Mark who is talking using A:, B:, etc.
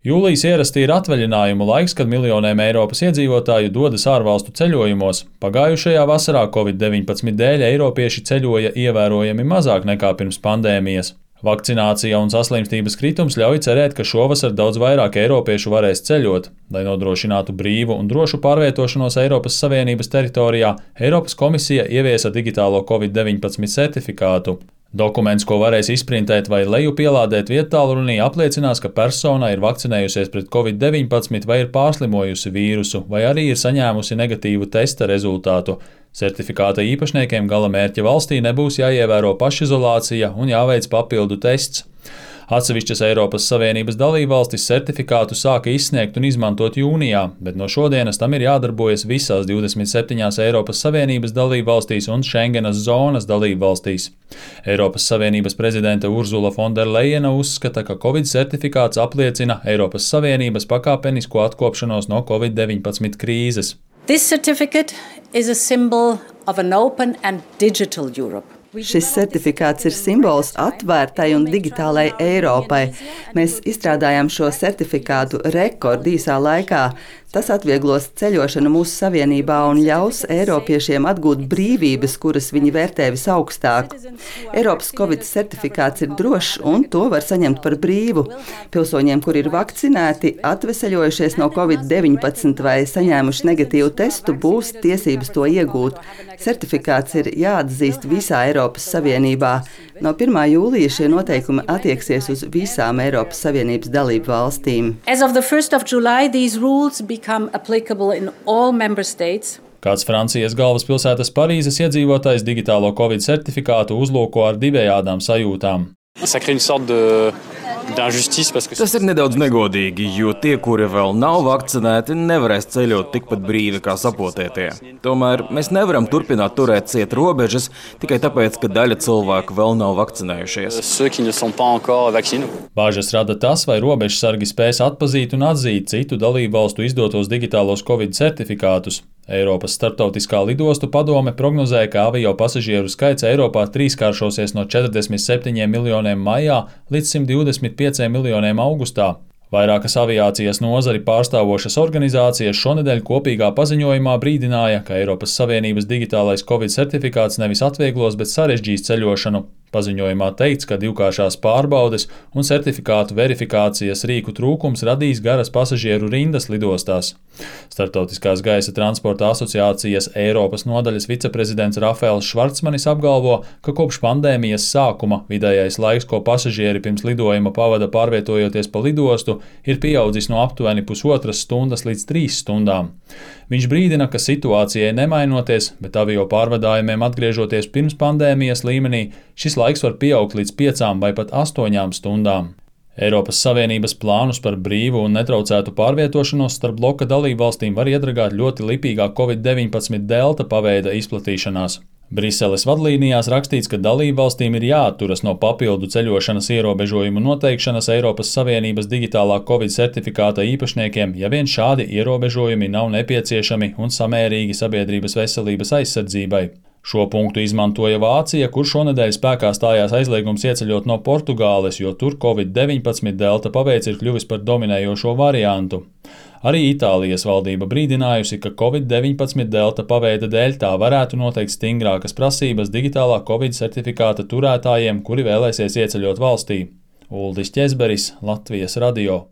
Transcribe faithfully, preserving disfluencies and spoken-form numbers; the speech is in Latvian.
A: Jūlijas ierasti ir atvaļinājumu laiks, kad miljoniem Eiropas iedzīvotāju dodas ārvalstu ceļojumos. Pagājušajā vasarā Covid deviņpadsmit dēļ eiropieši ceļoja ievērojami mazāk nekā pirms pandēmijas. Vakcinācija un saslimstības kritums ļauj cerēt, ka šovasar daudz vairāk eiropiešu varēs ceļot. Lai nodrošinātu brīvu un drošu pārvietošanos Eiropas Savienības teritorijā, Eiropas komisija ieviesa digitālo Covid deviņpadsmit certifikātu. Dokuments, ko varēs izprintēt vai lejupielādēt viedtālrunī, apliecinās, ka persona ir vakcinējusies pret Covid deviņpadsmit vai ir pārslimojusi vīrusu, vai arī ir saņēmusi negatīvu testa rezultātu. Certifikāta īpašniekiem gala mērķa valstī nebūs jāievēro pašizolācija un jāveic papildu tests. Atsevišķas Eiropas Savienības dalībvalstis certifikātu sāka izsniegt un izmantot jūnijā, bet no šodienas tam ir jādarbojas visās divdesmit septiņās Eiropas Savienības dalībvalstīs un Schengenas zonas dalībvalstīs. Eiropas Savienības prezidente Urzula Fonderlejena uzskata, ka Covid certifikāts apliecina Eiropas Savienības pakāpenisko atkopšanos no Covid deviņpadsmit krīzes.
B: This certificate is a symbol of an open and digital Europe.
C: Šis certifikāts ir simbols atvērtai un digitālai Eiropai. Mēs izstrādājām šo certifikātu rekordīsā laikā. Tas atvieglos ceļošanu mūsu savienībā un ļaus eiropiešiem atgūt brīvības, kuras viņi vērtē visaugstāk. Eiropas Covid certifikāts ir drošs un to var saņemt par brīvu. Pilsoņiem, kuri ir vakcinēti, atveseļojušies no Covid deviņpadsmit vai saņēmuši negatīvu testu, būs tiesības to iegūt. Certifikāts ir jāatzīst visā Eiropas Savienībā. No pirmā jūlija šie noteikumi attieksies uz visām Eiropas Savienības dalību valstīm.
B: As of the first of July, these rules become applicable in all member states.
A: Kāds Francijas galvaspilsētas Parīzes iedzīvotājs digitālo Covid certifikātu uzlūko ar divējādām sajūtām.
D: Tas ir nedaudz negodīgi, jo tie, kuri vēl nav vakcinēti, nevarēs ceļot tikpat brīvi kā sapotētie. Tomēr mēs nevaram turpināt turēt ciet robežas tikai tāpēc, ka daļa cilvēku vēl nav vakcinējušies.
A: Bāžas rada tas, vai robežsargi spēs atpazīt un atzīt citu dalībvalstu izdotos digitālos Covid certifikātus. Eiropas starptautiskā lidostu padome prognozēja, ka avio pasažieru skaits Eiropā trīskāršosies no četrdesmit septiņiem miljoniem maijā līdz simt divdesmit pieciem miljoniem augustā. Vairākas aviācijas nozari pārstāvošas organizācijas šonedēļ kopīgā paziņojumā brīdināja, ka Eiropas Savienības digitālais Covid certifikāts nevis atvieglos, bet sarežģīs ceļošanu. Paziņojumā teikts, ka divkāršās pārbaudes un certifikātu verifikācijas rīku trūkums radīs garas pasažieru rindas lidostās. Starptautiskās gaisa transporta asociācijas Eiropas nodaļas viceprezidents Rafaels Švarcmanis apgalvo, ka kopš pandēmijas sākuma vidējais laiks, ko pasažieri pirms lidojuma pavada pārvietojoties pa lidostu, ir pieaudzis no aptuveni pusotras stundas līdz trīs stundām. Viņš brīdina, ka situācijai nemainoties, bet avio pārvadājumiem atgriežoties pirms pandēmijas līmenī, šis laiks var pieaugt līdz piecām vai pat astoņām stundām. Eiropas Savienības plānus par brīvu un netraucētu pārvietošanos starp bloka dalībvalstīm var iedragāt ļoti lipīgā Covid deviņpadsmit delta paveida izplatīšanās. Briseles vadlīnijās rakstīts, ka dalībvalstīm ir jāatturas no papildu ceļošanas ierobežojumu noteikšanas Eiropas Savienības digitālā Covid certifikāta īpašniekiem, ja vien šādi ierobežojumi nav nepieciešami un samērīgi sabiedrības veselības aizsardzībai. Šo punktu izmantoja Vācija, kur šonedēļ spēkā stājās aizliegums ieceļot no Portugāles, jo tur Covid deviņpadsmit delta paveids ir kļuvis par dominējošo variantu. Arī Itālijas valdība brīdinājusi, ka Covid deviņpadsmit delta paveida dēļ tā varētu noteikt stingrākas prasības digitālā Covid certifikāta turētājiem, kuri vēlēsies ieceļot valstī. Uldis Ķezberis, Latvijas radio.